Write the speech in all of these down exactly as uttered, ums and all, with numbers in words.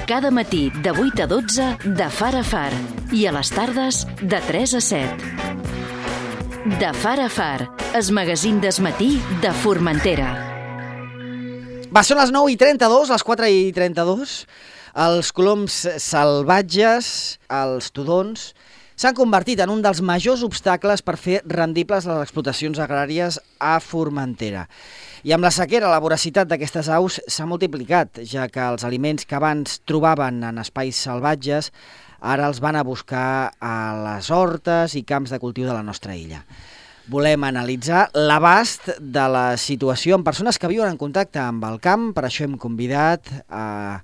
Cada matí de vuit a dotze de Far a Far i a les tardes de tres a set. De Far a Far, el magazín d'esmatí de Formentera. Va, són les nou i trenta-dos, les quatre i trenta-dos. Els coloms salvatges, els tudons, s'han convertit en un dels majors obstacles per fer rendibles les explotacions agràries a Formentera. I amb la sequera, la voracitat d'aquestes aus s'ha multiplicat, ja que els aliments que abans trobaven en espais salvatges ara els van a buscar a les hortes i camps de cultiu de la nostra illa. Volem analitzar l'abast de la situació amb persones que viuen en contacte amb el camp. Per això hem convidat a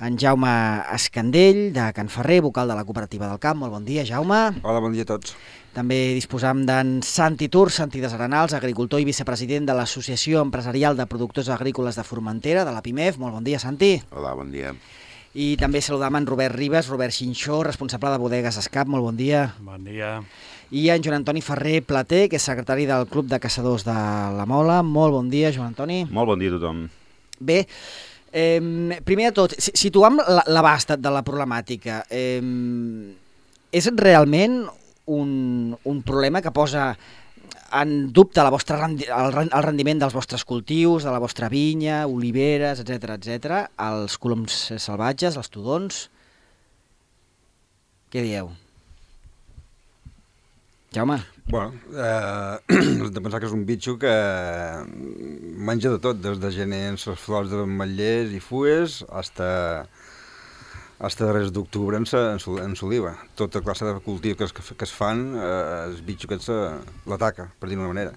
en Jaume Escandell, de Can Ferrer, vocal de la Cooperativa del Camp. Molt bon dia, Jaume. Hola, bon dia a tots. També disposam d'en Santi Tur, Santi de Arenals, agricultor i vicepresident de l'Associació Empresarial de Productors Agrícoles de Formentera, de la PIMEF. Molt bon dia, Santi. Hola, bon dia. I també saludam en Robert Ribas, Robert Xinxó, responsable de Bodegues Escap. Molt bon dia. Bon dia. I en Joan Antoni Ferrer Plater, que és secretari del Club de Caçadors de la Mola. Molt bon dia, Joan Antoni. Molt bon dia a tothom. Bé, eh, primer de tot, situam l'abast de la problemàtica. Eh, és realment un, un problema que posa en dubte la vostra, el, el rendiment dels vostres cultius, de la vostra vinya, oliveres, etcètera, etcètera, els coloms salvatges, els tudons? Què dieu? Jaume? Bueno, eh, has de pensar que és un bitxo que menja de tot, des de gener en les flors de ametllers i fues hasta, hasta darrers d'octubre en, en l'oliva. Tota classe de cultius que es, que es fan, eh, el bitxo aquest l'ataca, per dir-ho d'una manera.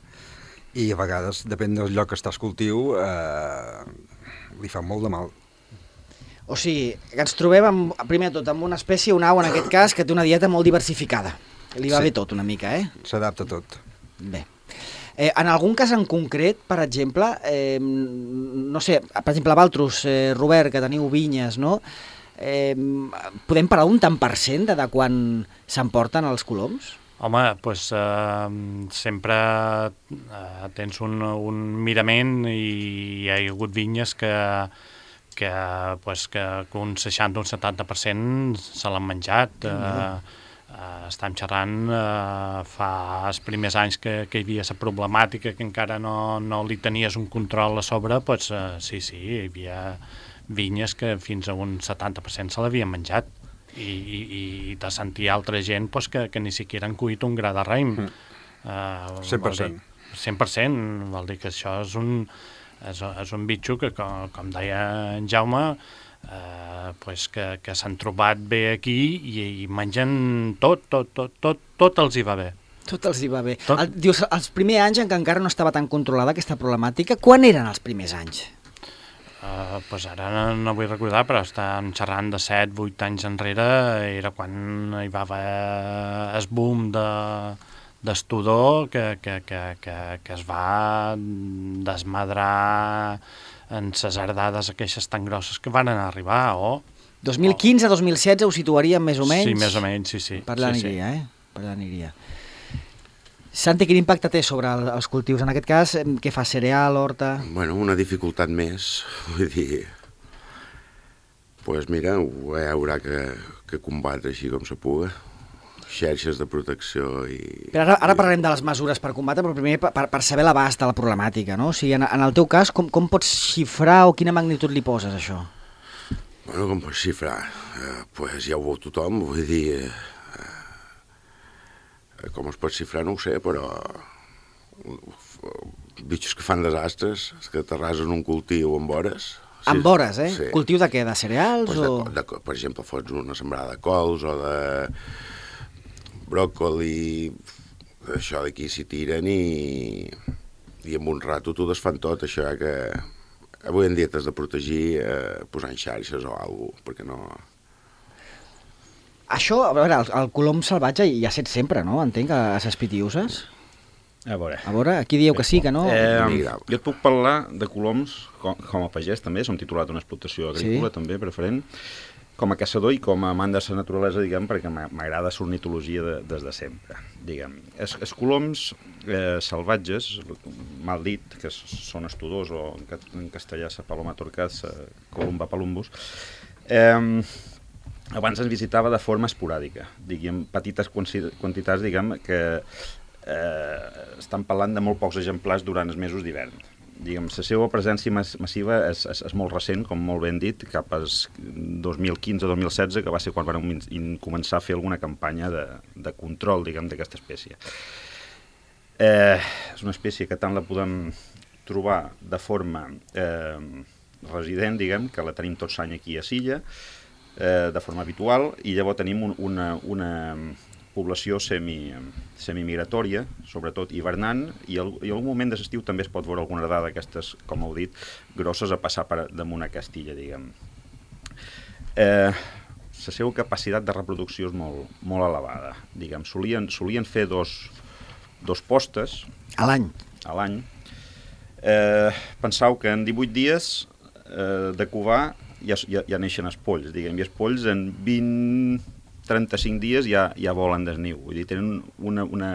I a vegades, depèn del lloc que estàs cultiu, eh, li fa molt de mal. O sigui, que ens trobem, amb, primer de tot, amb una espècie, una au en aquest cas, que té una dieta molt diversificada. Li va sí. bé tot una mica, eh? S'adapta tot. Bé. Eh, en algun cas en concret, per exemple, eh, no sé, per exemple, a Valtros, eh, Robert, que teniu vinyes, no? Eh, podem parlar un tant per cent de, de quan s'emporten els coloms? Home, doncs eh, sempre eh, tens un, un mirament i hi ha hagut vinyes que, que, pues, que un seixanta o un setanta per cent se l'han menjat. Eh, Uh, estem xerrant uh, fa els primers anys que, que hi havia la problemàtica, que encara no, no li tenies un control a sobre, doncs uh, sí, sí, hi havia vinyes que fins a un setanta per cent se l'havien menjat i, i, i de sentir altra gent pues, que, que ni siquiera han cuit un gra de raïm. Mm. Uh, cent per cent. cent per cent, vol dir que això és un, és, és un bitxo que, com, com deia en Jaume, Uh, pues que, que s'han trobat bé aquí i, i mengen tot, tot, tot, tot, tot els hi va bé. Tot els hi va bé. El, dius, els primers anys en què encara no estava tan controlada aquesta problemàtica, quan eren els primers anys? Uh, pues ara no, no vull recordar, però estem xerrant de set vuit anys enrere, era quan hi va haver el boom de, d'estudor que, que, que, que, que es va desmadrar en les ardades aquestes tan grosses que van arribar, o... dos mil quinze dos mil setze ho situaríem més o menys? Sí, més o menys, sí, sí. Per allà sí, aniria, sí. eh? Per allà aniria. Santi, quin impacte té sobre el, els cultius? En aquest cas, què fa, cereal, horta? Bueno, una dificultat més, vull dir... Doncs pues mira, ho haurà que, que combatre així com se puga. Xerxes de protecció i... Però ara, ara parlarem de les mesures per combatre, però primer per, per saber l'abast de la problemàtica, no? O sigui, en, en el teu cas, com, com pots xifrar o quina magnitud li poses, això? Bueno, com pots xifrar? Eh, pues ja ho veu tothom, vull dir... Eh, com es pot xifrar no ho sé, però... Bitxos que fan desastres, que t'arrasen un cultiu amb hores... Amb sí, hores, eh? Sí. Cultiu de què? De cereals pues o...? De, de, per exemple, fots una sembrada de cols o de... bròcoli, això d'aquí s'hi tiren i, i amb un rato t'ho desfan tot, això que avui en dia t'has de protegir eh, posant xarxes o alguna cosa, perquè no... Això, a veure, el, el colom salvatge hi ha set sempre, no? Entenc, a les pitiuses. A veure. A veure, aquí dieu que sí, que no? Eh, jo et puc parlar de coloms com, com a pagès, també, som titulat d'una explotació agrícola, sí. també, preferent, com a caçador i com a amant de la naturalesa, diguem, perquè m'agrada l'ornitologia de, des de sempre, diguem. Els, els coloms eh, salvatges, mal dit, que són estudors, o en, en castellà la paloma torcaz, Columba palumbus, Eh, abans ens visitava de forma esporàdica, diguem, petites quantitats, diguem, que eh, estan parlant de molt pocs exemplars durant els mesos d'hivern. Diguem, la seva presència massiva és, és, és molt recent, com molt ben dit, cap al dos mil quinze dos mil setze, que va ser quan vam començar a fer alguna campanya de, de control, diguem, d'aquesta espècie. Eh, és una espècie que tant la podem trobar de forma eh, resident, diguem, que la tenim tot l'any aquí a Silla, eh, de forma habitual, i llavors tenim un, una, una població semi, semimigratòria, sobretot hivernant, i, el, i en algun moment de l'estiu també es pot veure alguna dada d'aquestes, com heu dit, grosses a passar per damunt a Castilla, diguem. Eh, la seva capacitat de reproducció és molt, molt elevada, diguem. Solien, solien fer dos, dos postes a l'any. A l'any. Eh, pensau que en divuit dies eh, de covar ja, ja, ja neixen els polls, diguem, i els polls en vint trenta-cinc dies ja, ja volen des niu. Vull dir, tenen una, una,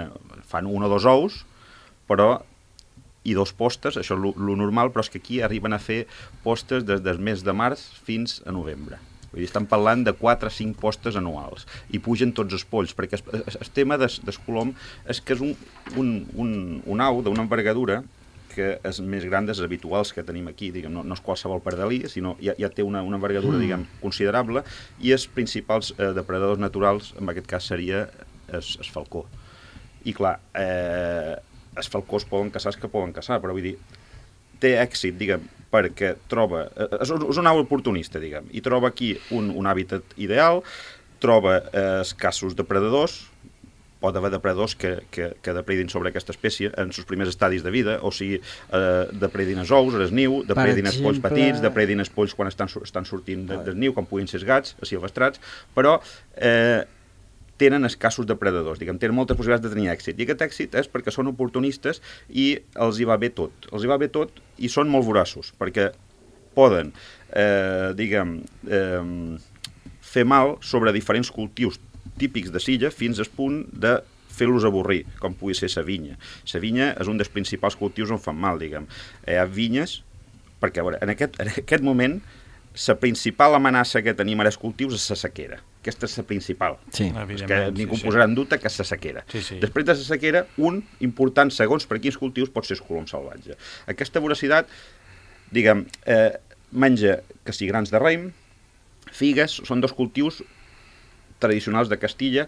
fan un o dos ous, però i dos postes, això és el normal, però és que aquí arriben a fer postes des del mes de març fins a novembre. Vull dir, estan parlant de quatre o cinc postes anuals i pugen tots els polls, perquè el, el tema del, del colom és que és un, un, un, un au d'una envergadura que és més gran dels habituals que tenim aquí, diguem, no, no és qualsevol pardalí, sinó ja, ja té una, una envergadura, diguem, considerable, i els principals eh, depredadors naturals, en aquest cas seria el falcó. I clar, eh, els falcós poden caçar els que poden caçar, però vull dir, té èxit, diguem, perquè troba, eh, és, és un au oportunista, diguem, i troba aquí un, un hàbitat ideal, troba eh, escassos depredadors, pot haver depredadors que, que, que depredin sobre aquesta espècie en els primers estadis de vida, o sigui, eh, depredin els ous, el niu, depredin els polls petits, depredin els polls quan estan, estan sortint de, del niu, com puguin ser els gats, els silvestrats, però eh, tenen escassos depredadors, diguem, tenen moltes possibilitats de tenir èxit, i aquest èxit és perquè són oportunistes i els hi va bé tot, els hi va bé tot i són molt voraços, perquè poden, eh, diguem, eh, fer mal sobre diferents cultius típics de Silla fins al punt de fer-los avorrir, com pugui ser la vinya. La vinya és un dels principals cultius on fan mal, diguem. Hi ha vinyes, perquè a veure, en aquest, en aquest moment la principal amenaça que tenim ara als cultius és la sequera. Aquesta és la principal. Sí. És que ningú sí, posarà en dubte que és la sequera. Sí, sí. Després de la sequera, un important, segons per quins cultius, pot ser el colom salvatge. Aquesta voracitat, diguem, eh, menja que si grans de raïm, figues, són dos cultius tradicionals de Castilla.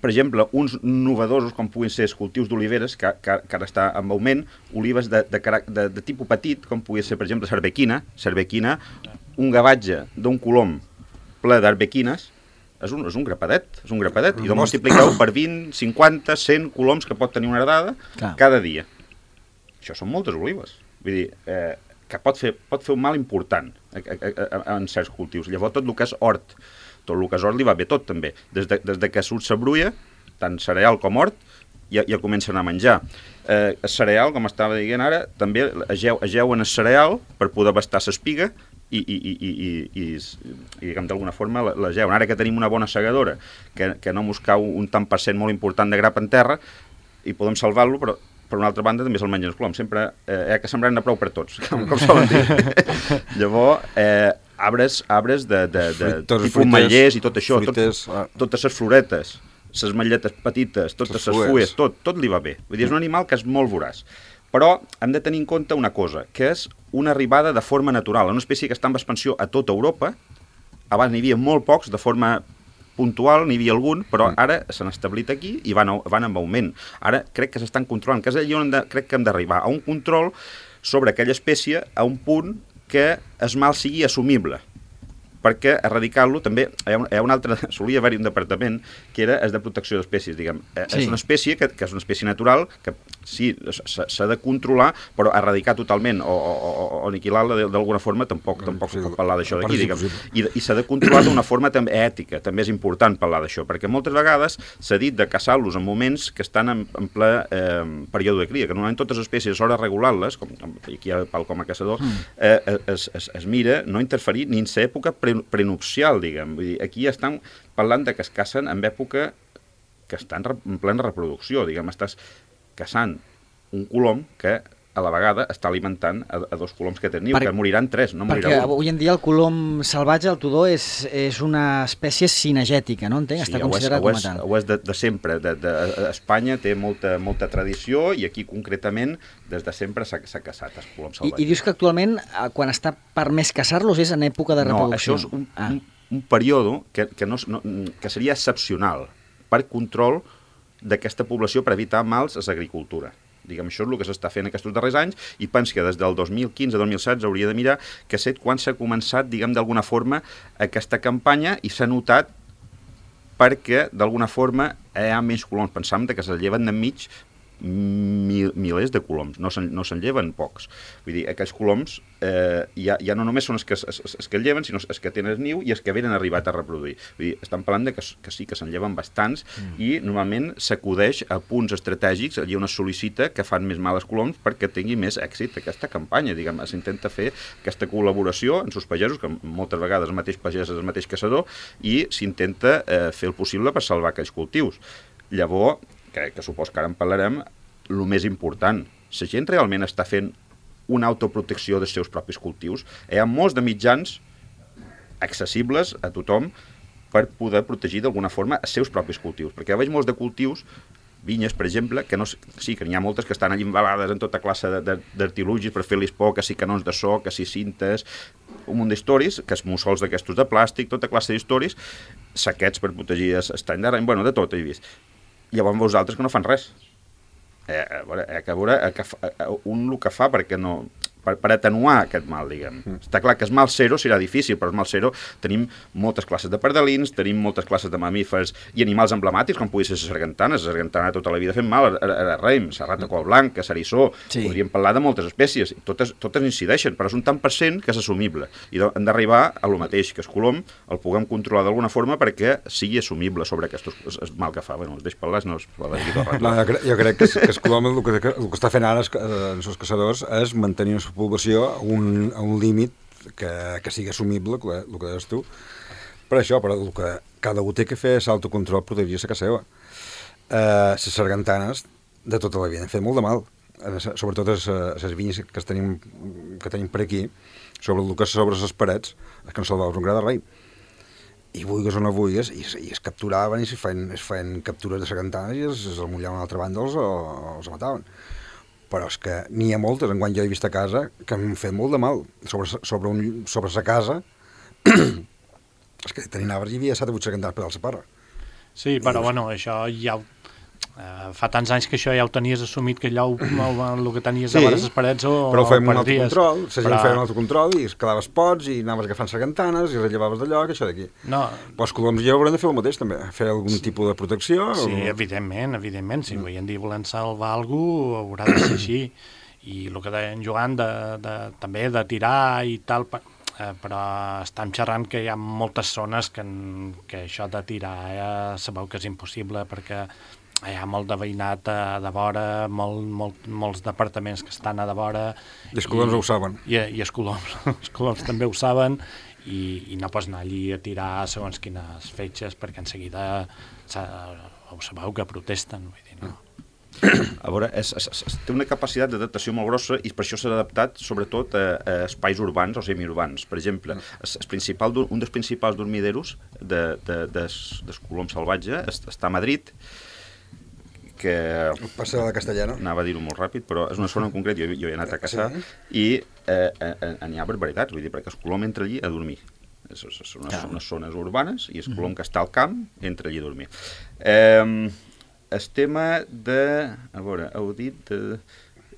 Per exemple, uns novedosos com puguin ser els cultius d'oliveres, que, que, que ara està en augment, olives de, de, de, de tipus petit, com pugui ser, per exemple, cervequina, cervequina, un gavatge d'un colom ple d'arbequines, és un, és un grapadet, és un grapadet, i doncs multipliqueu per vint, cinquanta, cent coloms que pot tenir una herdada Clar. cada dia. Això són moltes olives. Vull dir, eh, que pot fer, pot fer un mal important a, a, a, en certs cultius. Llavors, tot el que és hort, tot el que és hort li va bé tot, també. Des de, des de que surt la brulla, tant cereal com hort, ja, ja comencen a menjar. Eh, el cereal, com estava dient ara, també ageu, ageuen el cereal per poder bastar l'espiga i, i, i, i, i, i, i diguem, d'alguna forma l'ageuen. Ara que tenim una bona segadora, que, que no mos cau un tant per cent molt important de grap en terra, i podem salvar-lo, però per una altra banda també se'l mengen els coloms. Sempre eh, hi ha que sembrar-ne prou per tots, com, com solen dir. Llavors, eh, arbres, arbres de, de, de Fruites, tipus ametllers i tot això, fruites, tot, ah. totes les floretes, les ametlletes petites, totes les fulles, tot, tot li va bé. Vull dir, és un animal que és molt voraç. Però hem de tenir en compte una cosa, que és una arribada de forma natural, una espècie que està en expansió a tota Europa. Abans n'hi havia molt pocs, de forma puntual, n'hi havia algun, però ara s'han establit aquí i van, van amb augment. Ara crec que s'estan controlant, que és allà on de, crec que hem d'arribar, a un control sobre aquella espècie a un punt que es mal sigui assumible, perquè erradicar-lo també hi ha, un, hi ha un altre, solia haver-hi un departament que era el de protecció d'espècies, diguem. Sí. És una espècie que, que és una espècie natural que sí, s'ha de controlar, però erradicar totalment o, o, o aniquilar-la d'alguna forma tampoc, tampoc sí, pot parlar d'això d'aquí, diguem. I, i s'ha de controlar d'una forma també ètica, també és important parlar d'això, perquè moltes vegades s'ha dit de caçar-los en moments que estan en, en ple eh, període de cria, que normalment totes les espècies a l'hora de regular-les, com aquí ha pal com a caçador, eh, es, es, es mira no interferir ni en l'època pre, prenupcial, diguem. Vull dir, aquí estan parlant de que es cacen en època que estan en plena reproducció, diguem, estàs caçant un colom que a la vegada està alimentant a, a dos coloms que tenen niu, Per, que moriran tres, no morirà perquè un. avui en dia el colom salvatge, el tudó, és, és una espècie cinegètica, no entenc? Sí, Està ho és, considerat ho com és, a tal. ho és de, de sempre. De, de, Espanya té molta, molta tradició i aquí concretament des de sempre s'ha caçat els coloms I, salvatges. I dius que actualment, quan està permès caçar-los, és en època de reproducció. No, això és un, ah. un, un període que, que, no, no, que seria excepcional per control d'aquesta població per evitar mals a l'agricultura. Diguem, això és el que s'està fent aquests darrers anys i penso que des del dos mil quinze a dos mil setze hauria de mirar que set quan s'ha començat, diguem, d'alguna forma aquesta campanya i s'ha notat perquè d'alguna forma hi ha menys coloms. Pensàvem que se lleven d'enmig mil, milers de coloms, no se'n no se lleven pocs. Vull dir, aquells coloms eh, ja, ja no només són els que, els, els que lleven, sinó els que tenen el niu i els que venen arribat a reproduir. Vull dir, estan parlant de que, que sí, que se'n lleven bastants mm. i normalment s'acudeix a punts estratègics, allà on es sol·licita que fan més mal als coloms perquè tingui més èxit aquesta campanya. Diguem, s'intenta fer aquesta col·laboració amb els pagesos, que moltes vegades el mateix pagès és el mateix caçador, i s'intenta eh, fer el possible per salvar aquells cultius. Llavors, que, que supos que ara en parlarem, el més important, la gent realment està fent una autoprotecció dels seus propis cultius. Hi ha molts de mitjans accessibles a tothom per poder protegir d'alguna forma els seus propis cultius, perquè veig molts de cultius, vinyes, per exemple, que no, sí, que n'hi ha moltes que estan allà embalades en tota classe d'artilugis per fer-los por, que si canons de so, que si cintes, un munt d'històries, que es mussols d'aquestos de plàstic, tota classe d'històries, saquets per protegir estany d'ara, bueno, de tot he vist. Llavors veus altres que no fan res. Eh, a veure, eh, que a veure eh, que fa, eh, un el que fa perquè no, per, per atenuar aquest mal, diguem. Mm. Està clar que el mal zero serà difícil, però el mal zero tenim moltes classes de pardalins, tenim moltes classes de mamífers i animals emblemàtics, com pugui ser la sargantana. La sargantana tota la vida fent mal, a, a, a raïm, la rata col blanca, l'eriçó, sí. Podríem parlar de moltes espècies, totes, totes incideixen, però és un tant per cent que és assumible. I hem d'arribar a lo mateix, que el colom el puguem controlar d'alguna forma perquè sigui assumible sobre aquest mal que fa. Bueno, els deix parlar, no els parlar d'aquí tot el rato. No, jo, crec, jo crec que, que el colom el que, el que està fent ara els, els caçadors és mantenir la població a un, a un límit que, que sigui assumible, el que, el que deies tu. Per això, però el que cada un té que fer és autocontrol, protegir la casa seva. Eh, les sargantanes de tota la vida han fet molt de mal, sobretot les, les vinyes que tenim, que tenim per aquí, sobre el que és sobre les parets, és que no salvaves un gra de rei. I vulgues o no vulgues, i, i es capturaven i es feien, es feien captures de sargantanes i els, els mullaven a l'altra banda, els, els mataven. Però és que n'hi ha moltes, enguany jo he vist a casa, que m'han fet molt de mal. Sobre, sobre, un, sobre sa casa, és que tenien arbres i hi havia set o vuit sargantanes per la parra. Sí, però I, bueno, això ja ho, eh, fa tants anys que això ja ho tenies assumit, que allò el que tenies sí, a les parets o però fèiem un autocontrol, la gent però... feia un autocontrol i es quedaves pots i anaves agafant sargantanes i rellevaves d'allò, que això d'aquí. No. Però els coloms ja haurem de fer el mateix també, fer algun sí. tipus de protecció. Sí, o... evidentment, evidentment, si mm. avui en dia volem salvar algú haurà de ser així. I el que deien Joan de, de, també de tirar i tal, eh, però estem xerrant que hi ha moltes zones que, que això de tirar ja sabeu que és impossible perquè hi ha molt de veïnat a, de vora, molt, molt, molts departaments que estan a de vora. I els coloms ho saben. I, i els coloms, els coloms també ho saben i, i no pots anar allí a tirar segons quines fetges perquè en seguida ho sabeu que protesten. Vull dir, no. A veure, és, és, és, té una capacitat d'adaptació molt grossa i per això s'ha adaptat sobretot a, a espais urbans o semiurbans. Per exemple, es, es principal, un dels principals dormideros de, de, des, des colom salvatge està a Madrid, que... El Passeig de la Castellana. Anava a dir-ho molt ràpid, però és una zona en concret, jo, jo he anat a caçar, sí. i eh, eh, n'hi ha barbaritats, vull dir, perquè el colom entra allí a dormir. Són unes, ja. unes zones urbanes i el colom que està al camp entra allí a dormir. Eh, el tema de... A veure, heu dit de,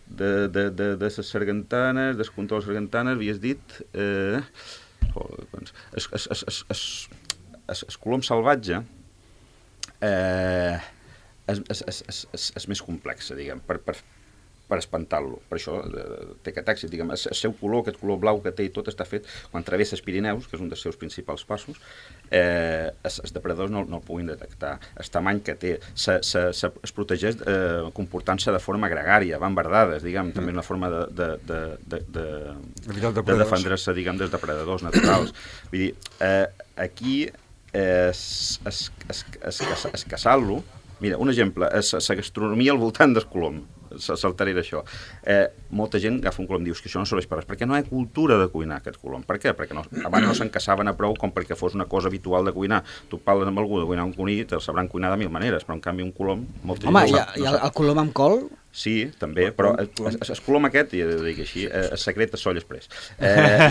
de, de, de, de les sargantanes, del control de les sargantanes, havies dit... Eh, oh, doncs, es, es, es, es, es, es, es colom salvatge eh, és, és, és, és, és més complexa, diguem, per, per, per espantar-lo. Per això eh, té aquest èxit, diguem, el seu color, aquest color blau que té i tot està fet quan travessa els Pirineus, que és un dels seus principals passos, eh, els, els depredadors no, no el puguin detectar. El tamany que té, se, se, se, es protegeix eh, comportant-se de forma gregària, van verdades, diguem, mm. també una forma de, de, de, de, de, de, de defendre-se, diguem, dels depredadors naturals. Vull dir, eh, aquí eh, es, es, es, es, es, es caçar-lo. Mira, un exemple, és la gastronomia al voltant del colom. saltaré això. Eh, molta gent agafa un colom i dius que això no serveix per res, perquè no hi ha cultura de cuinar aquest colom. Per què? Perquè no, abans no s'encaçaven a prou com perquè fos una cosa habitual de cuinar. Tu parles amb algú de cuinar un conill, te'l sabran cuinar de mil maneres, però en canvi un colom... Molta Home, gent no i, sap, i no el, sap. el colom amb col? Sí, també, però el, el, el colom aquest, i ho dic així, eh, el secret és Soll Express. Eh,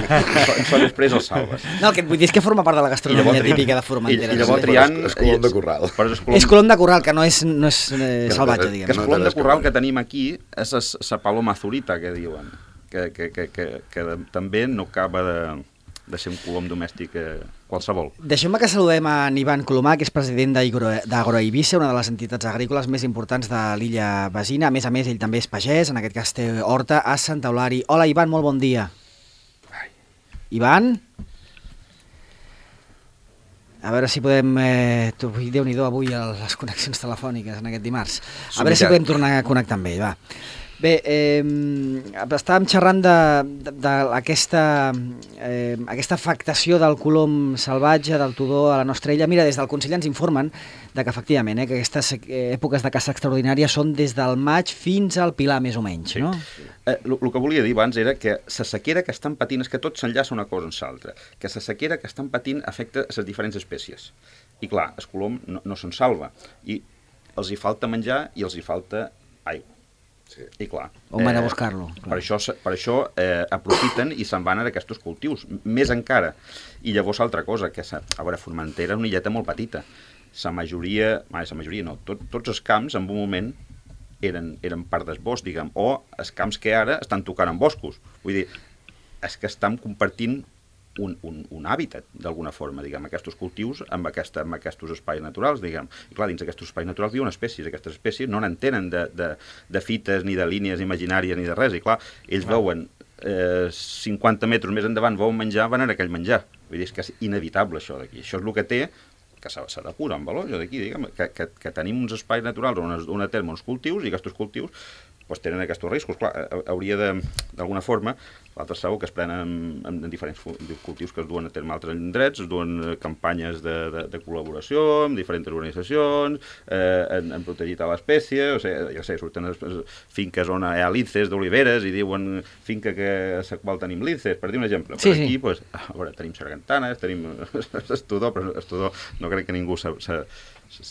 Soll Express el salves. No, el que et vull dir és que forma part de la gastronomia típica de Formentera. I, i llavors triant... És colom de corral. És colom, és colom de corral, que no és, no és eh, salvatge, que, diguem. que el colom de corral que tenim aquí és la paloma azurita, que diuen, que, que, que, que, que també no acaba de, de ser un colom domèstic eh, qualsevol. Deixeu-me que saludem a Ivan Colomà, que és president d'Agroeivissa, una de les entitats agrícoles més importants de l'illa Besina. A més a més, ell també és pagès, en aquest cas té horta a Santa Eulàri. Hola, Ivan, molt bon dia. Ai. Ivan? A veure si podem... Eh, Déu-n'hi-do avui les connexions telefòniques en aquest dimarts. A veure si podem tornar a connectar amb ell, va. Bé, eh, estàvem xerrant d'aquesta eh, aquesta afectació del colom salvatge, del tudó a la nostra illa. Mira, des del Consell ens informen de que efectivament eh, que aquestes èpoques de caça extraordinària són des del maig fins al Pilar, més o menys, sí. No? Eh, el que volia dir abans era que la sequera que estan patint és que tot s'enllaça una cosa amb l'altra, que la sequera que estan patint afecta les diferents espècies. I clar, el colom no, no se'n salva, i els hi falta menjar i els hi falta aigua. Sí. I clar, on van a eh, buscar-lo? Per això, per això eh, aprofiten i se'n van a aquests cultius, més encara. I llavors altra cosa, que a veure, Formentera és una illeta molt petita. La majoria, la majoria no, tot, tots els camps en un moment eren, eren part del bosc, diguem, o els camps que ara estan tocant en boscos. Vull dir, és que estan compartint un, un, un hàbitat, d'alguna forma, diguem, aquests cultius amb, aquesta, amb aquests espais naturals, diguem. I clar, dins d'aquests espais naturals viuen espècies. Aquestes espècies no n'entenen de, de, de fites, ni de línies imaginàries, ni de res. I clar, ells clar. veuen eh, cinquanta metres més endavant, veuen menjar, van a aquell menjar. Vull dir, és que és inevitable això d'aquí. Això és el que té, que s'ha de posar en valor, d'aquí, diguem, que, que, que tenim uns espais naturals on es duen a terme uns cultius, i aquests cultius pues, tenen aquests riscos. Clar, hauria de, d'alguna forma, l'altre sabeu que es prenen en, en diferents cultius que es duen a terme altres indrets, es duen campanyes de, de, de col·laboració amb diferents organitzacions, eh, en, en protegir a l'espècie, o sigui, ja sé, surten es, finques on hi ha linces d'oliveres i diuen finca que a la qual tenim linces, per dir un exemple. Sí, per aquí, sí. pues, a veure, tenim sargantanes, tenim estudor, però estudor no crec que ningú se, se, se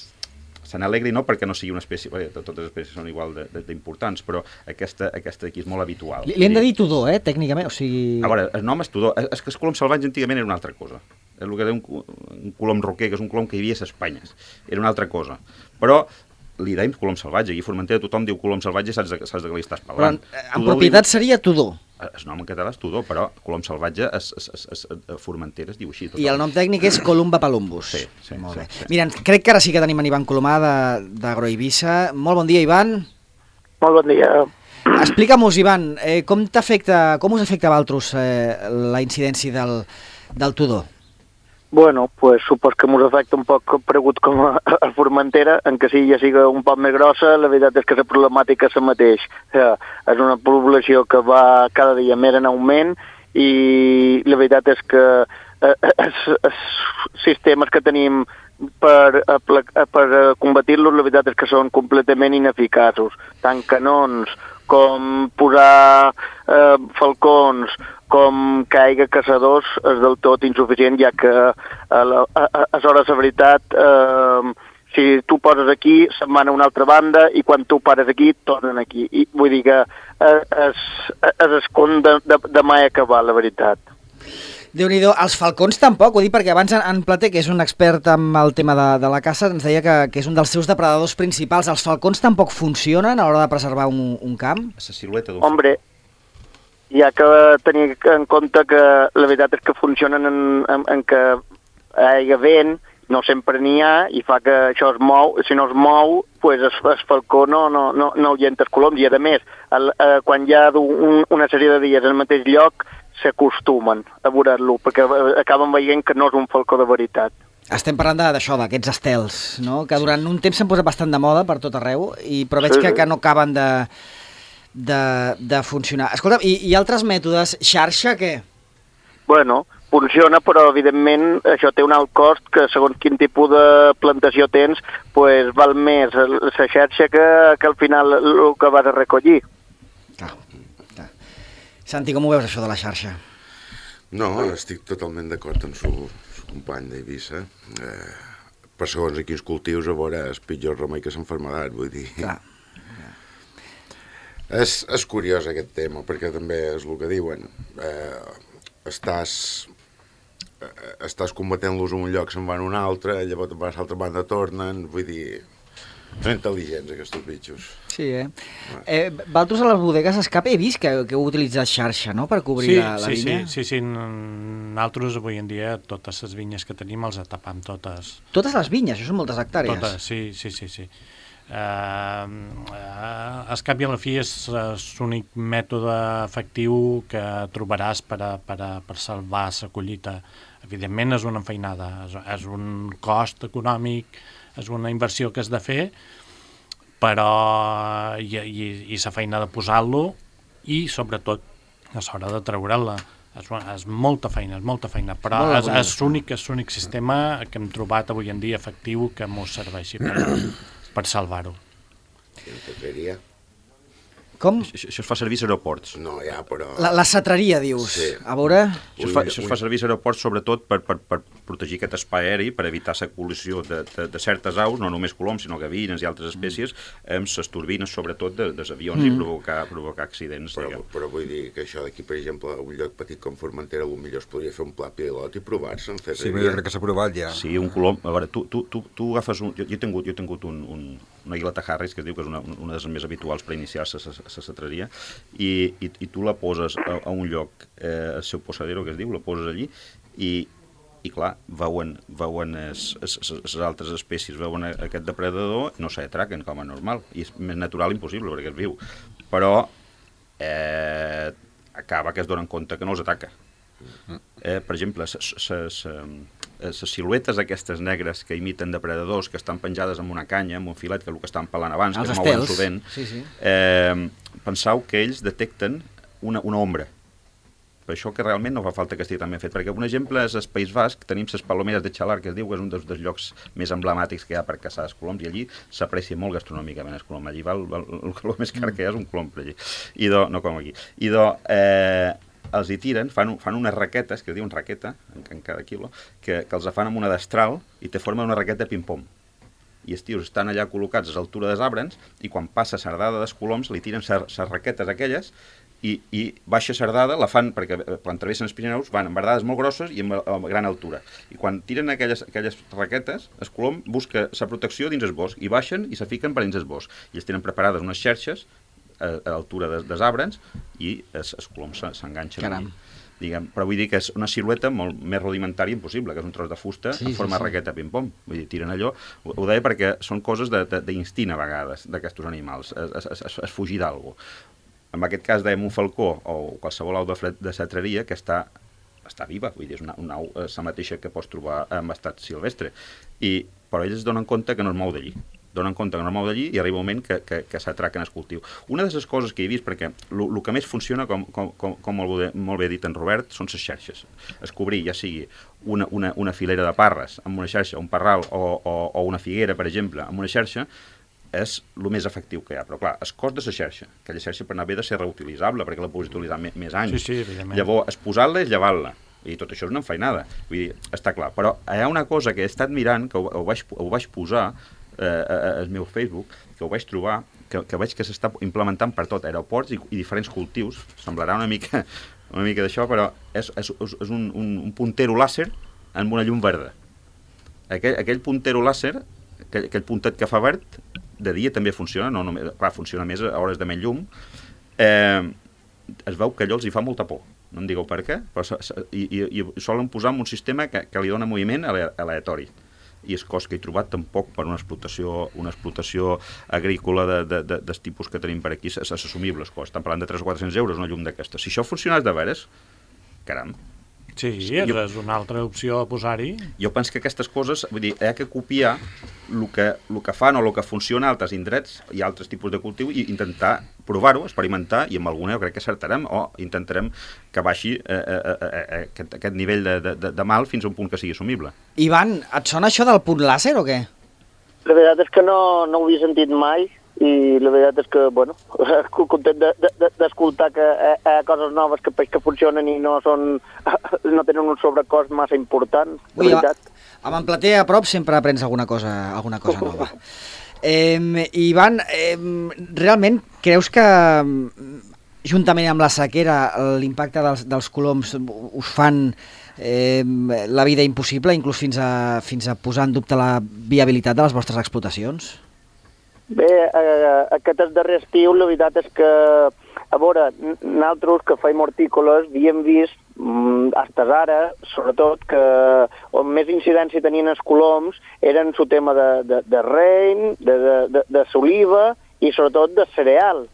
se n'alegri, no perquè no sigui una espècie, bé, totes les espècies són igual d'importants, però aquesta, aquesta d'aquí és molt habitual. Li, li hem de dir tudor, eh, tècnicament, o sigui... A veure, el nom és tudor, és que el colom salvatge antigament era una altra cosa. És el que deia un, un colom roquer, que és un colom que hi havia a Espanya. Era una altra cosa. Però li deim colom salvatge, i a Formentera tothom diu colom salvatge, saps de, saps de què li estàs parlant. Però en, en propietat li... seria tudor. El nom en català és tudor, però colom salvatge es, es, es, es, a Formentera es diu així. Total. I el nom tècnic és Columba palumbus. Sí, sí. Molt sí, bé. sí. Mira, crec que ara sí que tenim en Ivan Colomà d'Agroeivissa. Molt bon dia, Ivan. Molt bon dia. Explica'm-us, Ivan, eh, com t'afecta, com us afecta a vosaltres eh, la incidència del, del tudor? Bueno, pues supos que mos afecta un poc paregut com a, a Formentera, en que si ja siga un poc més grossa, la veritat és que la problemàtica és la mateix. Eh, és una població que va cada dia més en augment i la veritat és que eh, els, els sistemes que tenim per, per combatir-los, la veritat és que són completament ineficaços. Tant canons com posar eh, falcons, com que hi hagi caçadors, és del tot insuficient, ja que a l'hora de veritat, eh, si tu poses aquí, se'n van a una altra banda, i quan tu pares aquí, tornen aquí. I vull dir que és, és escon de, de, de mai acabar, la veritat. Déu-n'hi-do, els falcons tampoc, ho dic perquè abans en Plater, que és un expert amb el tema de, de la caça, ens deia que, que és un dels seus depredadors principals. Els falcons tampoc funcionen a l'hora de preservar un, un camp? La silueta d'un Hombre, hi ha que tenir en compte que la veritat és que funcionen en, en, en que hi hagi vent, no sempre n'hi ha, i fa que això es mou, si no es mou, pues el, el falcó no, no, no, no ahuyenta els coloms, i a més, el, eh, quan hi ha un, una sèrie de dies al mateix lloc, s'acostumen a veure-lo, perquè acaben veient que no és un falcó de veritat. Estem parlant d'això, d'aquests estels, no? Que durant un temps s'han posat bastant de moda per tot arreu, i, però veig sí, que, que no acaben de, de, de funcionar. Escolta, i, i altres mètodes, xarxa, què? Bueno, funciona, però evidentment això té un alt cost que segons quin tipus de plantació tens, pues, val més la xarxa que, que al final el que vas a recollir. Clar, clar. Santi, com ho veus això de la xarxa? No, estic totalment d'acord amb su, su company d'Eivissa. Eh, per segons a quins cultius, a veure, és pitjor remei que s'enfermedat, vull dir. Clar. És, és curiós aquest tema, perquè també és el que diuen. Eh, estàs, eh, estàs combatent-los en un lloc, se'n van a un altre, llavors vas a l'altra banda, tornen, vull dir... Són intel·ligents, aquests bitxos. Sí, eh? eh Valtros, a les bodegues Escape he vist que, que heu utilitzat xarxa, no?, per cobrir sí, la, la sí, vinya. Sí, sí, sí. Nosaltres avui en dia totes les vinyes que tenim els atapam totes. Totes les vinyes, això són moltes hectàrees. Totes, sí, sí, sí, sí. Uh, uh, al cap i a la fi és, és l'únic mètode efectiu que trobaràs per, a, per, a, per salvar la collita. Evidentment és una feinada, és, és un cost econòmic, és una inversió que has de fer, però i, i, i la feina de posar-lo i sobretot a l'hora de treure'l-la. És, és molta feina, és molta feina, però és, és l'únic és l'únic sistema que hem trobat avui en dia efectiu que ens serveixi per, per salvar-ho. Com? Això, això es fa servir als aeroports. No, ja, però... La, la cetreria, dius. Sí. A veure... Això es fa, això es fa servir als aeroports sobretot per, per, per protegir aquest espai aeri, per evitar la col·lisió de, de, de certes aus, no només coloms, sinó gavines i altres espècies, amb les turbines, sobretot, de, dels avions mm. i provocar, provocar accidents. Però, però vull dir que això d'aquí, per exemple, a un lloc petit com Formentera, potser es podria fer un pla pilot i provar-se en fer Sí, però jo crec que s'ha provat ja. Sí, un colom... A veure, tu, tu, tu, tu agafes un... Jo, jo he tingut, jo he tingut un, un, una Aguileta Harris, que es diu que és una, una de les més habituals per iniciar la cetreria, i, i, i tu la poses a, a un lloc, eh, el seu posadero, que es diu, la poses allí, i, i clar, veuen, veuen les altres espècies, veuen aquest depredador, no s'atraquen com a normal, i és més natural impossible, perquè és viu. Però eh, acaba que es donen compte que no els ataca. Eh, per exemple, les siluetes aquestes negres que imiten depredadors, que estan penjades amb una canya, amb un filet, que és el que estan pelant abans, els que es mouen sovint, sí, sí. eh, penseu que ells detecten una, una ombra. Per això que realment no fa falta que estigui tan ben fet, perquè un exemple és al País Basc, tenim les palomeres de Xalar, que es diu que és un dels, dels llocs més emblemàtics que hi ha per caçar els coloms, i allí s'aprecia molt gastronòmicament el colom. Allí val, val, el colom més car que hi ha és un colom per allí, i do, no com aquí. I do, eh, els hi tiren, fan, fan unes raquetes, que es diuen raqueta, en, en cada quilo, que, que els fan amb una destral i te formen una raqueta de ping-pong. I els tios estan allà col·locats a l'altura dels arbres i quan passa sardada dels coloms li tiren les raquetes aquelles i, i baixa sardada, la fan, perquè quan travessen els Pirineus van amb verdades molt grosses i amb, amb gran altura. I quan tiren aquelles, aquelles raquetes, el colom busca la protecció dins el bosc i baixen i se fiquen per dins el bosc. I els tenen preparades unes xerxes a, a l'altura des, dels arbres i els, els coloms s'enganxen allà. Diguem, però vull dir que és una silueta molt més rudimentària impossible, que és un tros de fusta sí, en forma sí, sí. raqueta ping-pong. Vull dir, tiren allò. Ho, ho deia perquè són coses d'instint a vegades, d'aquests animals, es, es, es, es fugir d'algú. En aquest cas dèiem un falcó o qualsevol au de, de cetreria que està, està viva, vull dir, és una, una au la mateixa que pots trobar en estat silvestre. I, però ells es donen compte que no es mou d'allí. donen compte que no es mou d'allí i arriba un moment que, que, que s'atraquen el cultiu. Una de les coses que he vist, perquè el que més funciona, com, com, com molt, bé, molt bé dit en Robert, són les xarxes. Es cobrir, ja sigui una, una, una filera de parres amb una xarxa, un parral o, o, o una figuera, per exemple, amb una xarxa, és el més efectiu que hi ha. Però clar, el cost de la xarxa, aquella xarxa per anar bé de ser reutilitzable, perquè la puguis utilitzar més, més anys. Sí, sí, evidentment. Llavors, es posar-la és llevar-la. I tot això és una enfeinada. Vull dir, està clar. Però hi ha una cosa que he estat mirant, que ho, ho, vaig, ho vaig posar al meu Facebook, que ho vaig trobar, que, que veig que s'està implementant per tot, aeroports i, i diferents cultius. Semblarà una mica, una mica d'això, però és, és, és un, un, un puntero làser amb una llum verda. Aquell, aquell puntero làser, aquell, aquell puntet que fa verd, de dia també funciona, no només, clar, funciona més a hores de menys llum, eh, es veu que allò els hi fa molta por. No em digueu per què, però i, i, i solen posar en un sistema que, que li dona moviment aleatori. I el cost que he trobat tampoc per una explotació, una explotació agrícola de, de, de, dels tipus que tenim per aquí és assumible el cost. Estan parlant de tres o quatre-cents euros una llum d'aquesta. Si això funcionés de veres, caram, Sí, jo, és una altra opció a posar-hi. Jo penso que aquestes coses, vull dir, hi ha que copiar el que, el que fan o el que funciona a altres indrets i altres tipus de cultiu i intentar provar-ho, experimentar, i amb alguna jo crec que acertarem o intentarem que baixi eh, eh, eh, aquest, aquest nivell de, de, de mal fins a un punt que sigui assumible. Ivan, et sona això del punt làser o què? La veritat és que no, no ho havia sentit mai, i la veritat és que, bueno, content d'escoltar que hi ha coses noves que, que funcionen i no són, no tenen un sobrecost massa important, la veritat. Amb en Plater a prop sempre aprens alguna cosa, alguna cosa nova. Eh, Ivan, eh, realment creus que juntament amb la sequera l'impacte dels, dels coloms us fan eh, la vida impossible, inclús fins a, fins a posar en dubte la viabilitat de les vostres explotacions? Bé, eh, aquest darrer estiu la veritat és que, a veure, nosaltres que feim hortícoles havíem vist, mm, fins ara, sobretot, que on més incidència tenien els coloms eren el tema de, de, de rein, de, de, de s'oliva i sobretot de cereal.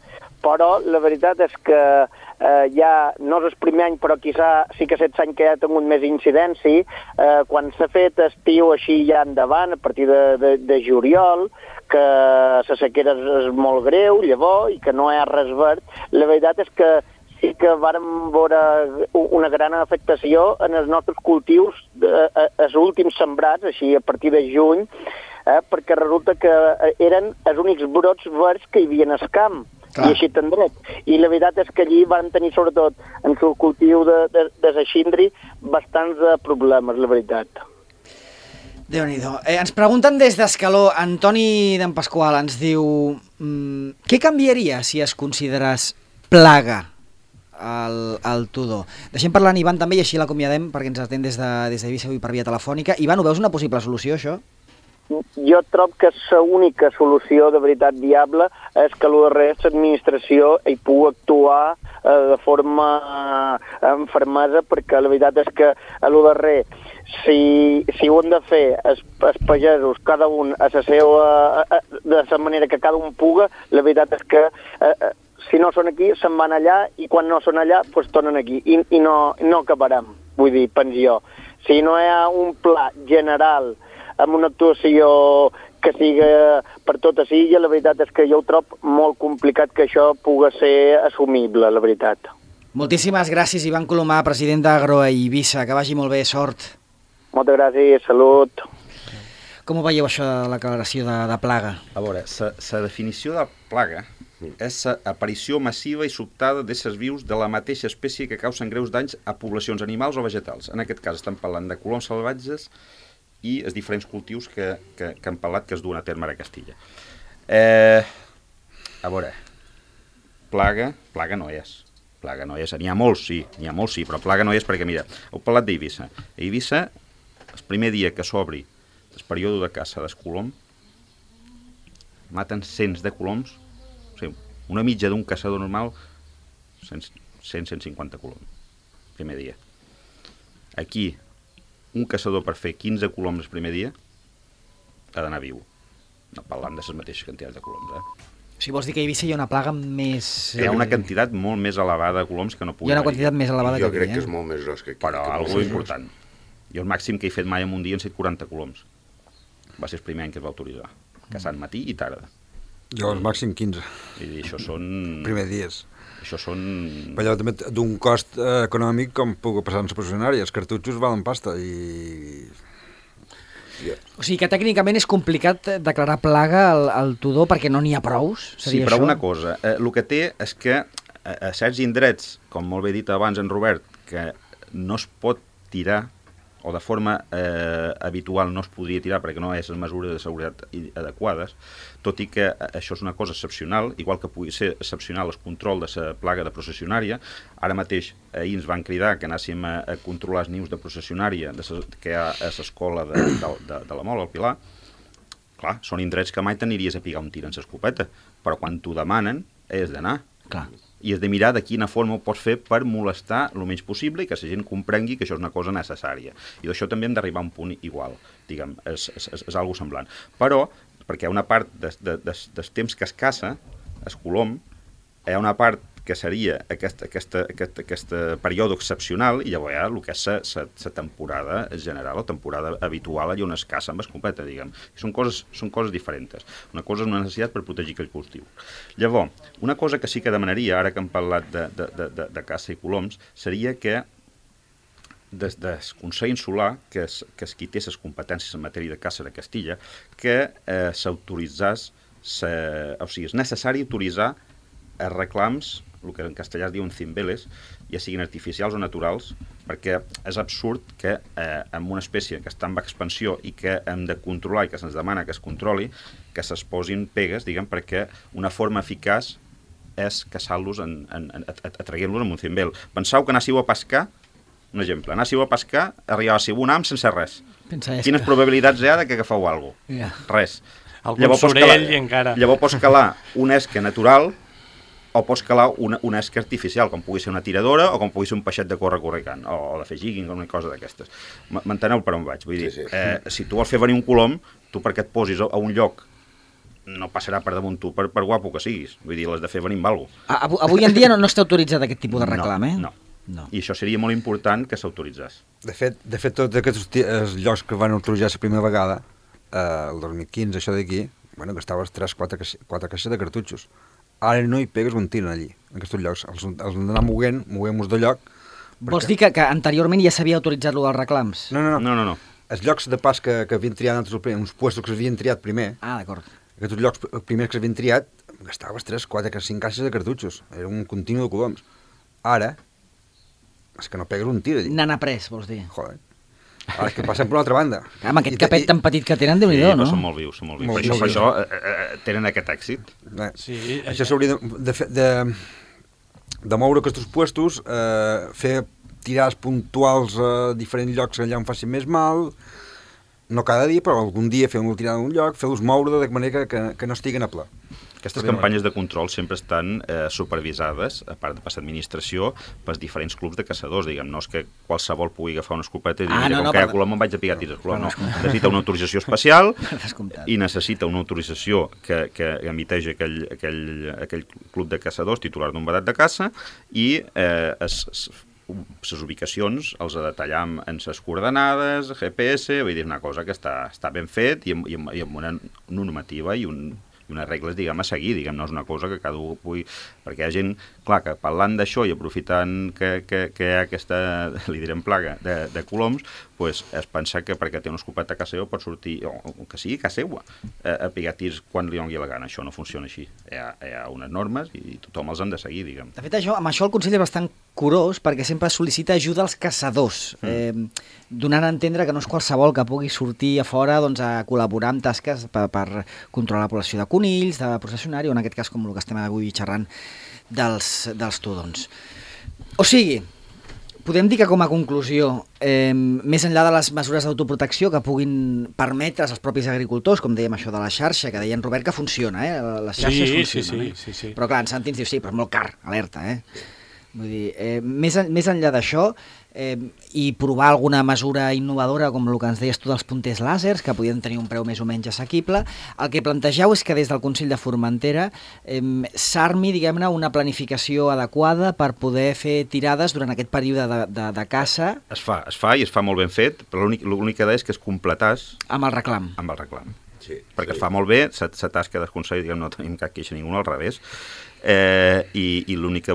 Però la veritat és que eh, ja, no és el primer any, però quizà sí que set anys que ja ha tingut més incidència, eh, quan s'ha fet estiu així ja endavant, a partir de, de, de juliol, que la sequera és, és molt greu, llavors, i que no hi ha res verd, la veritat és que sí que vàrem veure una gran afectació en els nostres cultius, eh, els últims sembrats, així a partir de juny, eh, perquè resulta que eren els únics brots verds que hi havia en el camp. Clar. I així tan dret. I la veritat és que allí van tenir, sobretot, en el cultiu de, de, de saxindri, bastants problemes, la veritat. Déu-n'hi-do. Eh, ens pregunten des d'Escaló, Antoni d'en Pasqual ens diu mmm, què canviaria si es considerés plaga el, el tudor? Deixem parlar en Ivan també i així l'acomiadem perquè ens atén des de, des d'Eivissa avui per via telefònica. Ivan, ho veus una possible solució, això? Jo trobo que l'única solució de veritat viable és que l'administració hi pugui actuar eh, de forma eh, amb fermesa, perquè la veritat és que a l'U D R si, si ho han de fer els, els pagesos, cada un a la seva, a, a, de la manera que cada un puga, la veritat és que eh, si no són aquí se'n van allà i quan no són allà doncs tornen aquí i, i no, no acabarem, vull dir, penso jo. Si no hi ha un pla general amb una actuació que sigui per tota l'illa, la veritat és que jo ho trobo molt complicat que això pugui ser assumible, la veritat. Moltíssimes gràcies, Ivan Colomà, president d'Agroeivissa. Que vagi molt bé, sort. Moltes gràcies, salut. Com ho veieu, això de la declaració de, de plaga? A veure, la definició de plaga és l'aparició massiva i sobtada d'éssers vius de la mateixa espècie que causen greus danys a poblacions animals o vegetals. En aquest cas estem parlant de coloms salvatges i els diferents cultius que, que, que han parlat que es duen a terme a Castilla. Eh, a veure, plaga, plaga no és. Plaga no és. N'hi ha molts, sí, n'hi ha molts, sí, però plaga no és perquè, mira, heu parlat d'Eivissa. A Eivissa, el primer dia que s'obri el període de caça del colom, maten cents de coloms, o sigui, una mitja d'un caçador normal, cent a cent cinquanta coloms, primer dia. Aquí, un caçador per fer quinze coloms el primer dia ha d'anar viu. No parlant de les mateixes quantitats de coloms, eh? O sigui, vols dir que a Eivissa hi ha una plaga més... Hi ha una quantitat molt més elevada de coloms que no pugui Hi ha una quantitat més elevada jo que aquí, crec eh? que és molt més gros que aquí. Però que algo important. Jo el màxim que he fet mai en un dia han set quaranta coloms. Va ser el primer any que es va autoritzar. Caçant matí i tarda. Jo el màxim quinze. I dir, això són... Primer dies. Això són... Però allò també d'un cost eh, econòmic com puc passar en la processionària. Els cartutxos valen pasta i... Yeah. O sigui que tècnicament és complicat declarar plaga al, al tudor perquè no n'hi ha prous? Sí, però això? una cosa, eh, el que té és que a, a certs indrets, com molt bé dit abans en Robert, que no es pot tirar o de forma eh, habitual no es podria tirar perquè no és les mesures de seguretat adequades, tot i que això és una cosa excepcional, igual que pugui ser excepcional el control de la plaga de processionària. Ara mateix ahir ens van cridar que anàssim a, a controlar els nius de processionària de ses, que hi ha a l'escola de, de, de, de la Mola, al Pilar. Clar, són indrets que mai t'aniries a pigar un tir en l'escopeta, però quan t'ho demanen és d'anar. Clar. I has de mirar de quina forma ho pots fer per molestar el menys possible i que la gent comprengui que això és una cosa necessària. I d'això també hem d'arribar a un punt igual, diguem, és, és, és, és algo semblant. Però, perquè hi ha una part de, de, de, del temps que es caça, el colom, hi ha una part que seria aquest, aquesta, aquest, aquest període excepcional, i llavors hi ha el que és la temporada general, la temporada habitual allà on es caça amb escopeta, diguem. Són coses, són coses diferents. Una cosa és una necessitat per protegir aquell cultiu. Llavors, una cosa que sí que demanaria, ara que hem parlat de, de, de, de, de caça i coloms, seria que des del Consell Insular, que és, que és qui té les competències en matèria de caça de Castilla, que eh, s'autoritzés, o sigui, és necessari autoritzar els reclams, el que en castellà es diuen cimbeles, ja siguin artificials o naturals, perquè és absurd que eh, amb una espècie que està en expansió i que hem de controlar i que se'ns demana que es controli, que se'ls posin pegues, diguem, perquè una forma eficaç és caçar-los, atraient-los amb un cimbel. Penseu que anàssiu a pescar, un exemple, anàssiu a pescar, arribàssiu un ham sense res. Quines probabilitats hi ha que agafeu alguna cosa? Yeah. Res. Algun sorell i encara... Llavors pots calar una esca natural o pots calar una, una esca artificial, com pugui ser una tiradora o com pugui ser un peixet de córrer correcant, o, o de fer jigging o una cosa d'aquestes. M'enteneu per on vaig? Vull dir, sí, sí. Eh, si tu vols fer venir un colom, tu perquè et posis a un lloc no passarà per damunt tu, per, per guapo que siguis. Vull dir, l'has de fer venir amb alguna cosa. Avui en dia no, no està autoritzat aquest tipus de reclam, no, eh? No, no. I això seria molt important que s'autoritzés. De fet, de fet, tots aquests llocs que van autoritzar la primera vegada, eh, el dos mil quinze, això d'aquí, bueno, gastaves tres quatre caixes de cartutxos. Ara no hi pegues un tir allí, en aquests llocs. Els, els d'anar moguent, moguem-nos de lloc. Perquè... Vols dir que, que anteriorment ja s'havia autoritzat lo dels reclams? No, no, no. no, no, no. Els llocs de pas que, que havien triat, uns puestos que s'havien triat primer, ah, d'acord. Aquests llocs primers que s'havien triat, gastaves tres, quatre, cinc caixes de cartutxos. Era un continu de coloms. Ara, és que no pegues un tir allí. N'han après, vols dir? Joder. Ara és que passem per una altra banda. Clar, amb aquest I, capet i... tan petit que tenen, Déu-n'hi-do, sí, no? Sí, són molt vius, són molt vius. Molt per això, vius. per això eh, eh, tenen aquest èxit. Eh, sí, això eh, s'hauria de, de, de, de moure aquests puestos, eh, fer tirades puntuals a diferents llocs allà on facin més mal, no cada dia, però algun dia fer una tirada en un lloc, fer-los moure de manera que, que, que no estiguen a pla. Aquestes campanyes de control sempre estan eh, supervisades, a part de per l'administració, pels diferents clubs de caçadors, diguem, no és que qualsevol pugui agafar una escopeta i dir, ah, no, com no, que hi ha colom em vaig a pigar tirs colom, no. Necessita una autorització especial i necessita una autorització que, que emiteix aquell, aquell, aquell club de caçadors titular d'un vedat de caça i eh, es, es les ubicacions els detallem en les coordenades, G P S, vull dir, una cosa que està, està ben fet i amb, i amb, i amb una normativa i, un, i unes regles, diguem, a seguir, diguem, no és una cosa que cada un pugui... Perquè hi ha gent, clar, que parlant d'això i aprofitant que, que, que hi ha aquesta, li direm, plaga de, de coloms, pues, es pensa que perquè té una escopeta a casa seva pot sortir, o, o que sigui a casa seva, a, a pigar tirs quan li doni la gana. Això no funciona així. Hi ha, hi ha unes normes i tothom els han de seguir, diguem. De fet, això, amb això el Consell és bastant curós perquè sempre sol·licita ajuda als caçadors, mm. eh, donant a entendre que no és qualsevol que pugui sortir a fora doncs, a col·laborar amb tasques per, per controlar la població de conills, de processionari, o en aquest cas com el que estem avui xerrant dels, dels tudons. O sigui, podem dir que com a conclusió, eh, més enllà de les mesures d'autoprotecció que puguin permetre als propis agricultors, com dèiem això de la xarxa, que deia en Robert que funciona, eh? Les xarxes sí, funcionen. Sí, sí, sí, sí. Però clar, en Santi ens diu, sí, però és molt car, alerta, eh? Vull dir, eh, més, en, més enllà d'això, eh, i provar alguna mesura innovadora, com el que ens deies tu dels punters làsers, que podien tenir un preu més o menys assequible, el que plantegeu és que des del Consell de Formentera eh, s'armi, diguem-ne, una planificació adequada per poder fer tirades durant aquest període de, de, de caça. Es fa, es fa i es fa molt ben fet, però l'únic que és que es completàs... Amb el reclam. Amb el reclam. Sí, perquè sí. Es fa molt bé, la tasca del Consell, diguem, no tenim cap queixa ningú, al revés, eh, i, i l'únic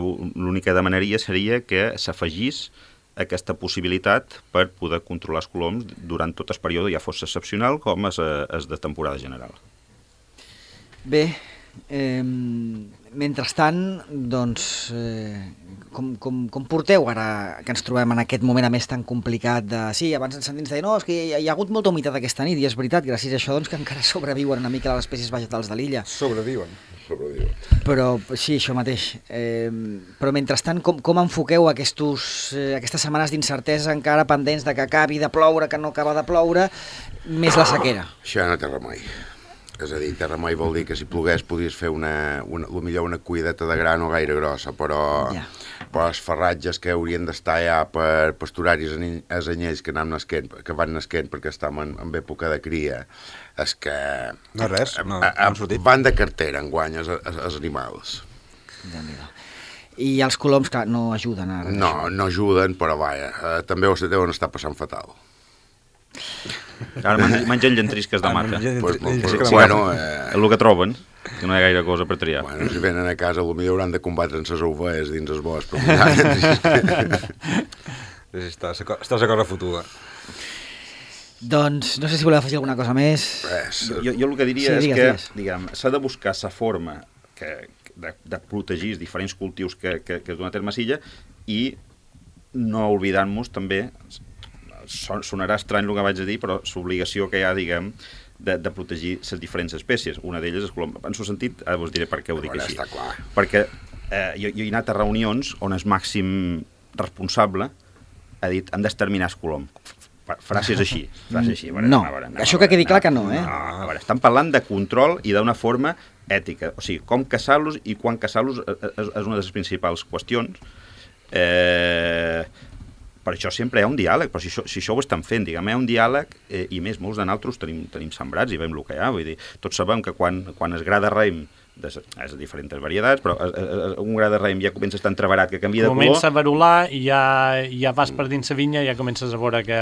que demanaria seria que s'afegís aquesta possibilitat per poder controlar els coloms durant tot el període, ja fos excepcional com és, és de temporada general. Bé, eh, mentrestant, doncs, eh, com, com, com porteu ara que ens trobem en aquest moment a més tan complicat de... Sí, abans ens sentim dir, no, és que hi ha, hi ha hagut molta humitat aquesta nit, i és veritat, gràcies a això doncs, que encara sobreviuen una mica les espècies vegetals de l'illa. Sobreviuen. Sobreviuen. Però sí, això mateix. Eh, però mentrestant, com, com enfoqueu aquestos, eh, aquestes setmanes d'incertesa encara pendents de que acabi de ploure, que no acaba de ploure, més la sequera? Això no té remei. És a dir, té remei vol dir que si plogués podries fer una, una, millor una cuideta de gra no gaire grossa, però, ja. però els ferratges que haurien d'estar ja per pasturar-hi els anyells que, nasquent, que van nasquent perquè estem en, en època de cria, és que no res, no, a, a, no van de cartera enguany els, els animals. Ja, I els coloms, clar, no ajuden ara. No, no ajuden, però vaja, eh, també ho deuen estar passant fatal. Ara mengen llentrisques de mata. Pues, pues, bueno, eh... el que troben, que no hi ha gaire cosa per triar. Bueno, si venen a casa, potser hauran de combatre en ses ovelles dins el bosc. Però... estàs, estàs a cosa fotuda. Doncs no sé si voleu afegir alguna cosa més. Res. Jo, jo el que diria sí, és digues, que digues. diguem, s'ha de buscar la forma que, de, de protegir els diferents cultius que, que, que es duen a terme a l'illa i no oblidant-nos també, sonarà estrany el que vaig a dir, però l'obligació que hi ha, diguem, de, de protegir les diferents espècies. Una d'elles és colom. En el sentit, ara us diré per què ho dic així. Perquè eh, jo, jo he anat a reunions on el màxim responsable ha dit hem d'exterminar el colom. Frases així. Frases així. Veure, no, a veure, això que quedi clar que no, eh? No, a veure, estan parlant de control i d'una forma ètica. O sigui, com caçar-los i quan caçar-los és, és una de les principals qüestions. Eh... Per això sempre hi ha un diàleg, però si això, si això ho estan fent, diguem, hi ha un diàleg, eh, i més, molts de nosaltres tenim, tenim sembrats i veiem el que hi ha, vull dir, tots sabem que quan, quan es gra de raïm, de, és de diferents varietats, però es, es, un gra de raïm ja comença a estar entreverat, que canvia de color... Comença a verular i ja, ja vas per dins la vinya i ja comences a veure que,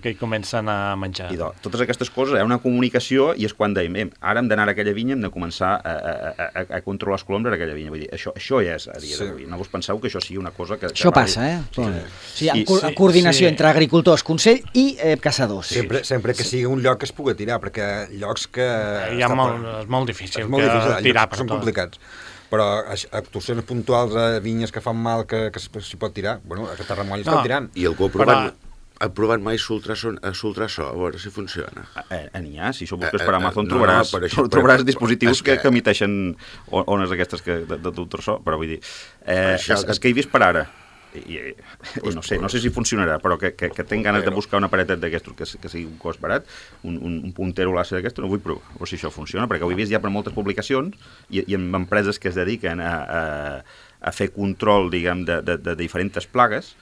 que hi comencen a menjar. I do, totes aquestes coses, hi ha una comunicació i és quan dèiem, eh, ara hem d'anar a aquella vinya, hem de començar a, a, a, a controlar els coloms a aquella vinya. Vull dir, això, això ja és a dia sí. d'avui. No vos penseu que això sigui una cosa que... Això que passa, eh? Sí, sí, en, sí, co sí, en coordinació sí. entre agricultors, consell i eh, caçadors. Sempre, sempre que sigui un lloc que es pugui tirar, perquè llocs que... Hi ha molt, és molt difícil, és molt difícil que tirar per són tot. complicats. Però actuacions puntuals a vinyes que fan mal que, que s'hi pot tirar, bueno, a Tarramoll estan no. tirant. I algú ha provat, però... ha provat mai l'ultrasò, a veure si funciona. N'hi ha, si això busques Eh, per eh, Amazon no, trobaràs, no, això, trobaràs però, dispositius que... que, que emiteixen ones aquestes que, de, de d'ultrasò, però vull dir, eh, Això és, que- és que he vist per ara, i, i, i no sé, no sé si funcionarà, però que, que, que tinc ganes de buscar un aparatet d'aquestos que, que sigui un cost barat, un, un, un puntero làser d'aquestos, no vull provar, o si això funciona, perquè ho he vist ja per moltes publicacions i, i en empreses que es dediquen a, a, a fer control, diguem, de, de, de diferents plagues,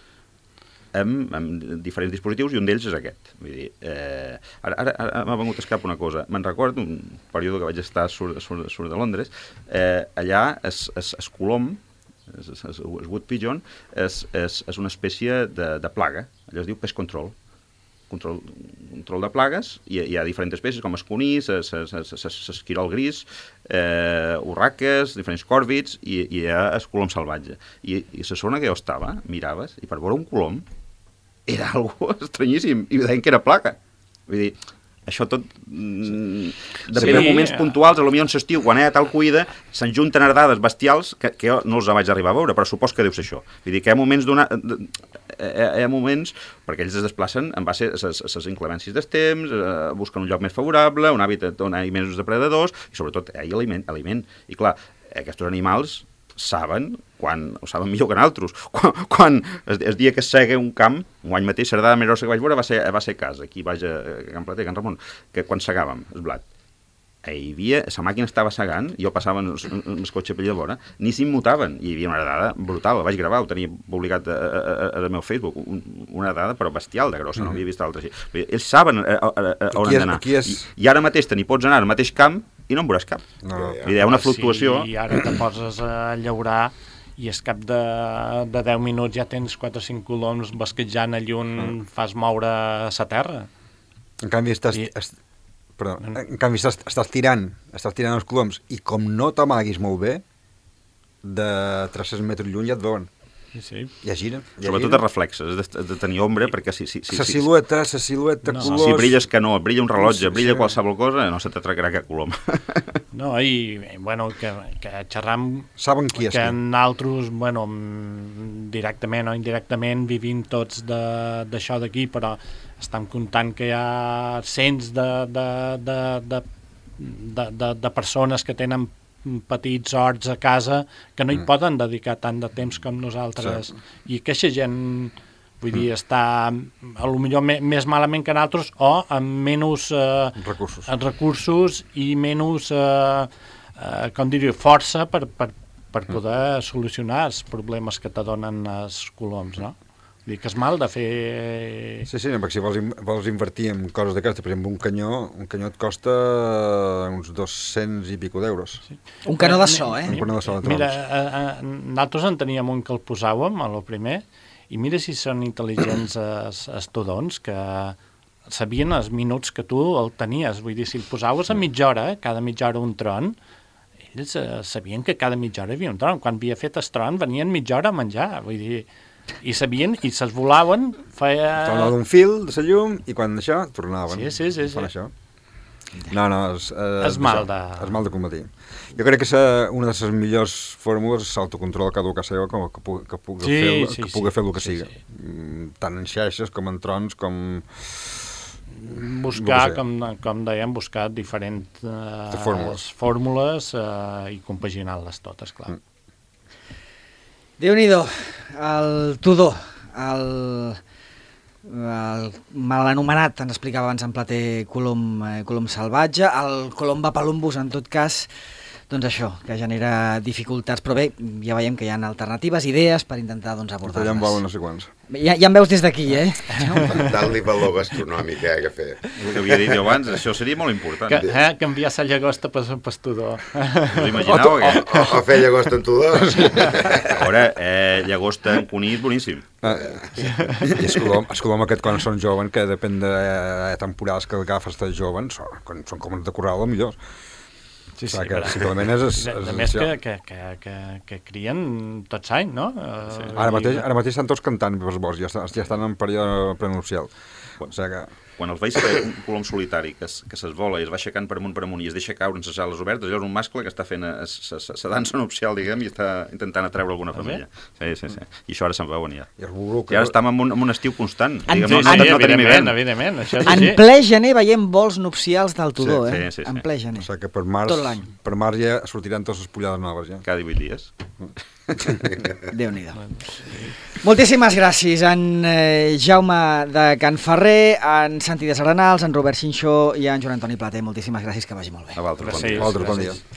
amb, amb diferents dispositius, i un d'ells és aquest. Vull dir, eh, ara, ara, ara m'ha vengut a escap una cosa. Me'n recordo un període que vaig estar a Sur, Sur, Sur de Londres, eh, allà es, es, es colom, es, es, es wood pigeon, és, és, és una espècie de, de plaga, allò es diu pest control. Control, control de plagues, i hi ha diferents espècies com esconís, esquirol gris, eh, urraques, diferents còrvids, i, i hi ha el colom salvatge. I, i la zona que jo estava, miraves, i per veure un colom era algo estranyíssim, i deien que era plaga. Vull dir, això tot mm, depèn sí, de moments puntuals, a lo millor en l'estiu, quan hi ha tal cuida, se'n junten herdades bestials que, que jo no els vaig arribar a veure, però supos que deu ser això. Vull dir que hi ha moments d'una... hi ha moments, perquè ells es desplacen en base a les inclemències del temps, eh, busquen un lloc més favorable, un hàbitat on hi ha menys depredadors, i sobretot hi ha aliment. aliment. I clar, aquests animals saben, quan, ho saben millor que nosaltres, quan, quan el, el dia que es sega un camp, un any mateix, l'herdada més grossa que vaig veure va ser, va ser a casa, aquí vaig a, a Can Plater, a Can Ramon, que quan segàvem el blat, hi havia, la màquina estava segant, jo passava en el cotxe per allà vora, ni s'immutaven, i hi havia una herdada brutal, la vaig gravar, ho tenia publicat al meu Facebook, un, una herdada però bestial de grossa, mm-hmm. no havia vist altra així. Ells saben a, a, a, a on han d'anar, és... I, i ara mateix te n'hi pots anar al mateix camp i no en veuràs cap. No, no. Hi ha una fluctuació. Sí, i ara te poses a llaurar i és cap de, de deu minuts ja tens quatre o cinc coloms basquejant allà on mm. fas moure la terra. En canvi, estàs, I... est... Perdó, en canvi estàs, estàs tirant estàs tirant els coloms i com no t'amaguis molt bé, de tres-cents metres lluny ja et veuen. Sí, sí. Ja gira. Ja Sobretot gira. els reflexes, has de, de tenir ombra, perquè si... si, si la si, silueta, la silueta, no. colors... Si brilles que no, brilla un rellotge, Sí, brilla sí. qualsevol cosa, no se t'atracarà aquest colom. No, i, bueno, que, que xerram... Saben qui és que qui. nosaltres, bueno, directament o indirectament vivim tots d'això d'aquí, però estem comptant que hi ha cents de, de, de, de, de, de, de persones que tenen petits horts a casa que no hi mm. poden dedicar tant de temps com nosaltres. Sí. I aquesta gent, vull dir, mm. està a lo millor me, més malament que nosaltres o amb menys eh, recursos. recursos i menys, eh, eh, com diria, força per, per, per poder mm. solucionar els problemes que te donen els coloms, no? Vull dir que és mal de fer... Sí, sí, perquè si vols, vols invertir en coses d'aquestes, per exemple, un canyó, un canyó et costa uns dos-cents i pico d'euros. Sí. Un canó de so, eh? Un canó de so de Mira, trons. a, a, nosaltres en teníem un que el posàvem, a lo primer, i mira si són intel·ligents els, els tudons, que sabien els minuts que tu el tenies. Vull dir, si el posaves a mitja hora, cada mitja hora un tron, ells eh, sabien que cada mitja hora hi havia un tron. Quan havia fet el tron, venien mitja hora a menjar. Vull dir, i sabien, i se'ls volaven, feia... Tornava d'un fil de la llum, i quan això, tornaven. Sí, sí, sí. Fan sí. això. No, no, és, és, És mal de... És mal de combatir. Jo crec que sa, una de les millors fórmules és l'autocontrol cada ocasió que, que, pugui, que pugui Sí, fer, sí, que pugui sí. fer el que Sí, siga. sí. Mm, tant en xarxes com en trons, com... Buscar, No ho sé. com, com dèiem, buscar diferents eh, fórmules. fórmules eh, i compaginar-les totes, clar. Mm. Déu-n'hi-do, el Tudor, el, el mal anomenat, ens explicava abans en Plater, Colom, eh, Colom salvatge, el Colomba palumbus, en tot cas, doncs això, que genera dificultats, però bé, ja veiem que hi ha alternatives, idees per intentar doncs, Allà en abordar-les. volen no sé quants. Ja, ja em veus des d'aquí, eh? Tant-li valor gastronòmic que hi ha que fer. El que havia dit jo abans, això seria molt important. Que, eh, canviar la llagosta per un pastudor. Us imagineu? O, Que... o, o fer llagosta en tudors. A veure, eh, llagosta en conill, boníssim. Ah, I el colom, el colom aquest quan són joven, que depèn de eh, temporals que agafes de joves, són, quan són com de corral, millor. Sí, O sigui, que però- simplement és... és, A és més que, essencial. que, que, que, que crien tots anys, no? Sí. Ara mateix, ara mateix estan tots cantant pels boscs, ja, estan, ja estan en període prenupcial. O sigui que... Quan els veus fer un colom solitari que, es, que s'esvola i es va aixecant per amunt per amunt i es deixa caure en les ales obertes, allò és un mascle que està fent la dansa nupcial, diguem, i està intentant atreure alguna família. Sí, sí, sí. I això ara se'n veuen ja. I, el I ara estem en un, en un estiu constant. En- Diguem, no, Sí, no, sí, no, no tenim evidentment, hivern. evidentment, això és En així. ple gener veiem vols nupcials del Tudor, Sí, eh? sí, sí, sí. En ple O gener. sigui que per març, Tot l'any. per març ja sortiran totes les pollades noves, ja. Cada divuit dies. Déu-n'hi-do. Moltíssimes gràcies, en eh, Jaume de Can Ferrer, en Santi de Serenals, en Robert Xinxó i en Joan Antoni Plater. Moltíssimes gràcies, que vagi molt bé. A vosaltres, bon Gràcies. dia. Altres, bon gràcies. dia.